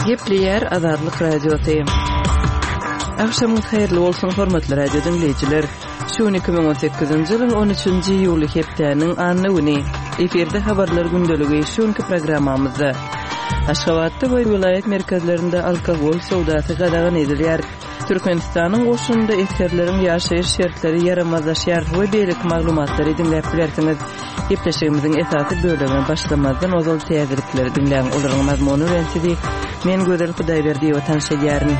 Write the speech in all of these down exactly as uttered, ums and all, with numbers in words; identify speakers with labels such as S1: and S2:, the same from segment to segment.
S1: Gepleýär Azatlyk Radiosy. Agşamyňyz haýyrly bolsun, hormatly radio diňleýjiler. Şu gün iki müň on sekizinji ýylyň on üçünji iýuly hepdäniň anna güni. Efirde habarlar gündeligi şu günki programmamyzda. Aşgabatda we welaýat merkezlerinde alkogol söwdasy gadagan edilýär. Türkmenistanyň goşunynda esgerleriň ýaşaýyş şertleri ýaramazlaşýar we beýleki maglumatlary diňläp bilersiňiz. Gepleşigimiziň esasy bölegine başlamazdan ozal täzelikleri diňläň. Olaryň mazmuny bilen sizi men Gözel Hudaýberdiýewa tanyş edýärin.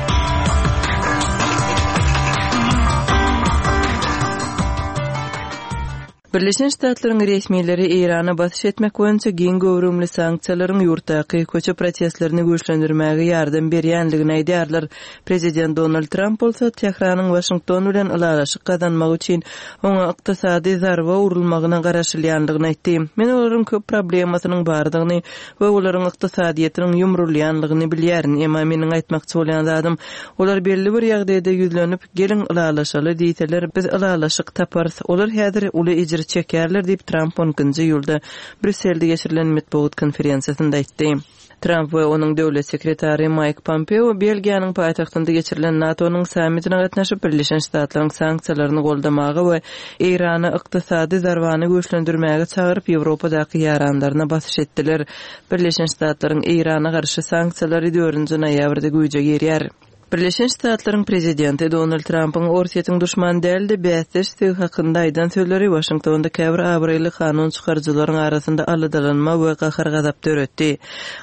S1: Birleşen Ştatlaryň resmileri Eýrana basyş etmek boýunça giň göwrümli sanksiýalaryň ýurtdaky köçe protestlerini güýçlendirmäge ýardam berýändigini aýdýarlar. Prezident Donald Tramp bolsa Tähranyň Waşington bilen ylalaşyk gazanmagy üçin oňa ykdysady zarba urulmagyna garaşylýandygyny aýtdy. Men olaryň köp problemasynyň bardygyny we olaryň ykdysadyýetiniň ýumrulýandygyny bilýärin. Emma meniň aýtmakçy bolýan zadym, olar belli bir ýagdaýda ýüzlenip, geliň ylalaşaly diýseler, biz ylalaşyk taparys. Olar häzir uly ejir çekerler diýip Tramp on ikinji iýulda Brýusselde geçirilen metbugat konferensiýasynda aýtdy. Tramp we onuň döwlet sekretary Maýk Pompeo Belgiýanyň paýtagtynda geçirilen NATO-nyň sammitine gatnaşyp, Birleşen Ştatlaryň sanksiýalaryny goldamaga we Eýrana ykdysady zarbany güýçlendirmäge çagyryp, Ýewropadaky ýaranlaryna basyş etdiler. Birleşen Ştatlaryň Eýrana garşy sanksiýalary dördünji noýabrda güýje girýär. Birleşen Ştatlaryň prezidenti Donald Trumpyň Orsýetiň duşman däl-de bäsdeşdigi hakynda aýdan sözleri Waşingtonda käbir abraýly kanun çykaryjylaryň arasynda aladalanma we gahar-gazap döretdi.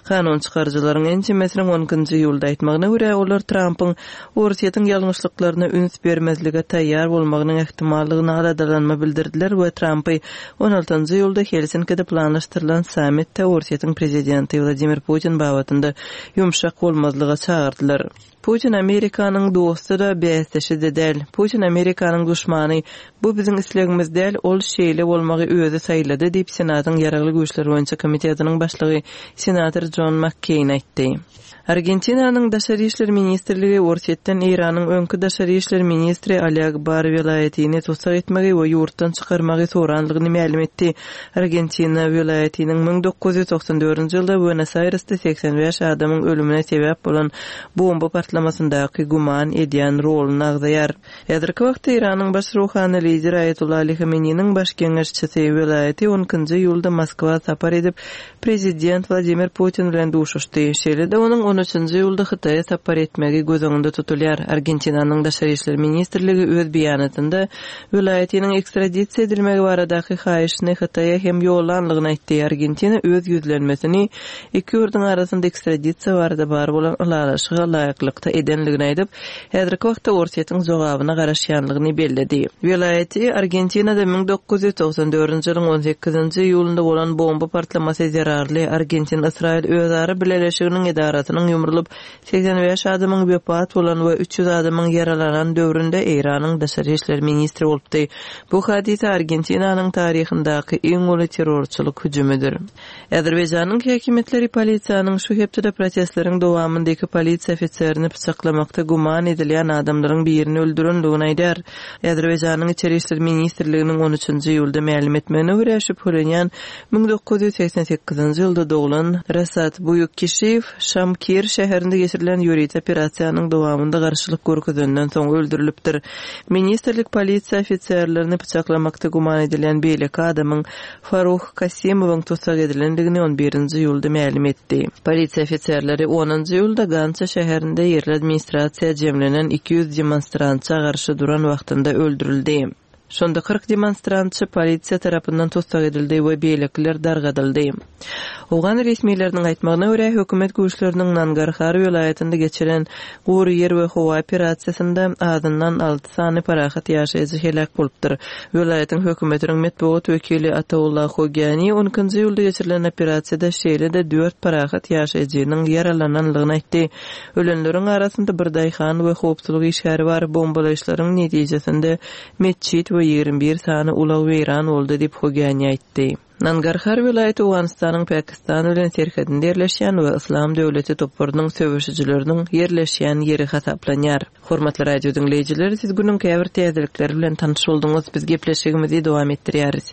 S1: Kanun çykaryjylaryň ençemesiniň on ikinji iýulda aýtmagyna görä, olar Trumpyň Orsýetiň ýalňyşlyklaryna üns bermezlige taýýar bolmagynyň ähtimallygyna aladalanma bildirdiler we Trumpy on altynjy iýulda Helsinkide planlaşdyrylan sammitde Orsýetiň prezidenti Wladimir Putin babatynda ýumşak bolmazlyga çagyrdylar. Putin Amerikanyň dosty-da, bäsdeşi-de däl. Putin Amerikanyň duşmany. Bu biziň islegimiz däl, ol şeýle bolmagy özi saýlady diýip Senatyň Ýaragly Güýçler boýunça komitetiniň başlygy senator John McCain aýtdy. Argentinanyň Daşary işler ministrligi Orsýetden Eýranyň öňki daşary işler ministri Ali Akbar Welaýatyny tussag etmegi we ýurtdan çykarmagy sorandygyny mälim etdi. Argentina welaýatynyň müň dokuz ýüz togsan dördünji ýylda Buenos Airesde segsen bäş adamyň ölümine sebäp bolan bomba partlamasyndaky güman edýän roluny agzaýar. Häzirki wagtda Eýranyň baş ruhany lideri Aýatollah Ali Hameneýiniň baş geňeşçisi welaýaty on ikinji iýulda Moskwa sapar edip, prezident Wladimir Putin bilen duşuşdy. Şeýle-de onuň on üçünji iýulda Hytaýa sapar etmegi göz öňünde tutulýar. Argentinanyň Daşary işler ministrligi öz beýanatynda welaýatynyň ekstradisiýa edilmegi baradaky haýyşyny Hytaýa hem ýollanlygyny aýtdy. Argentina öz ýüzlenmesini iki ýurduň arasynda ekstradisiýa barada bar bolan ylalaşyga laýyklykda edenligini aýdyp, häzirki wagtda Orsýetiň jogabyna garaşýanlygyny belledi. Welaýaty Argentinada müň dokuz ýüz togsan dördünji ýylyň on sekizinji iýulynda bolan bomba partlamasy zerarly Argentin-Ysraýyl özara bileleşiginiň edarasynyň ýumrulyp segsen bäş adamyň wepat bolan we üç ýüz adamyň ýaralanan döwründe Eýranyň daşary işler ministri bolupdy. Bu hadisa Argentinanyň taryhyndaky iň uly terrorçylyk hüjümidir. Azerbaýjanyň häkimiýetleri polisiýanyň şu hepdede protestleriň dowamynda iki polisiýa ofiserini pyçaklamakda güman edilýän adamlaryň birini öldürendigini aýdar. Azerbaýjanyň İçeri işler ministrliginiň on üçünji iýulda mälim etmegine görä şübhelenýän müň dokuz ýüz segsen sekizinji ýylda doglan Rasat Buýukkişiýew Şamkir şäherinde geçirilen ýörite operasiýanyň dowamynda garşylyk görkezenden soň öldürilipdir. Ministrlik polisiýa ofiserlerini pyçaklamakda güman edilýän beýleki adamyň Faruh Kasimowyň tussag edilendigini on birinji iýulda mälim etdi. Polisiýa ofiserleri onunjy iýulda Gança şäherinde ýerli administrasiýa jemlenen iki ýüz demonstrantça garşy duran wagtynda öldürildi. Şonda kyrk demonstrantçy polisiýa tarapyndan tussag edildi we beýlekiler dargadyldy. Owgan resmileriniň aýtmagyna görä, hökümet güýçleriniň Nangarhar welaýatynda geçiren gury ýer we howa operasiýasynda azyndan alty sany parahat ýaşaýjy heläk bolupdyr. Welaýatyň hökümetiniň metbugat wekili Ataullah Hogyani on ikinji iýulda geçirilen operasiýada şeýle-de dört parahat ýaşaýjynyň ýaralananlygyny aýtdy. Ölenleriň arasynda bir daýhan we howpsuzlyk işgäri bar. Bombalaýyşlaryň netijesinde metjit we ýigrimi bir sany ulag weýran boldy diýip Hogyani aýtdy. Nangarhar welaýaty Owganystanyň Pakistan bilen serhedinde ýerleşýän we Yslam döwleti toparynyň söweşijileriniň ýerleşýän ýeri hasaplanýar. Hormatly radio diňleýjiler, siz günüň käbir täzelikleri bilen tanyş bolduňyz. Biz gepleşigimizi dowam etdirýäris.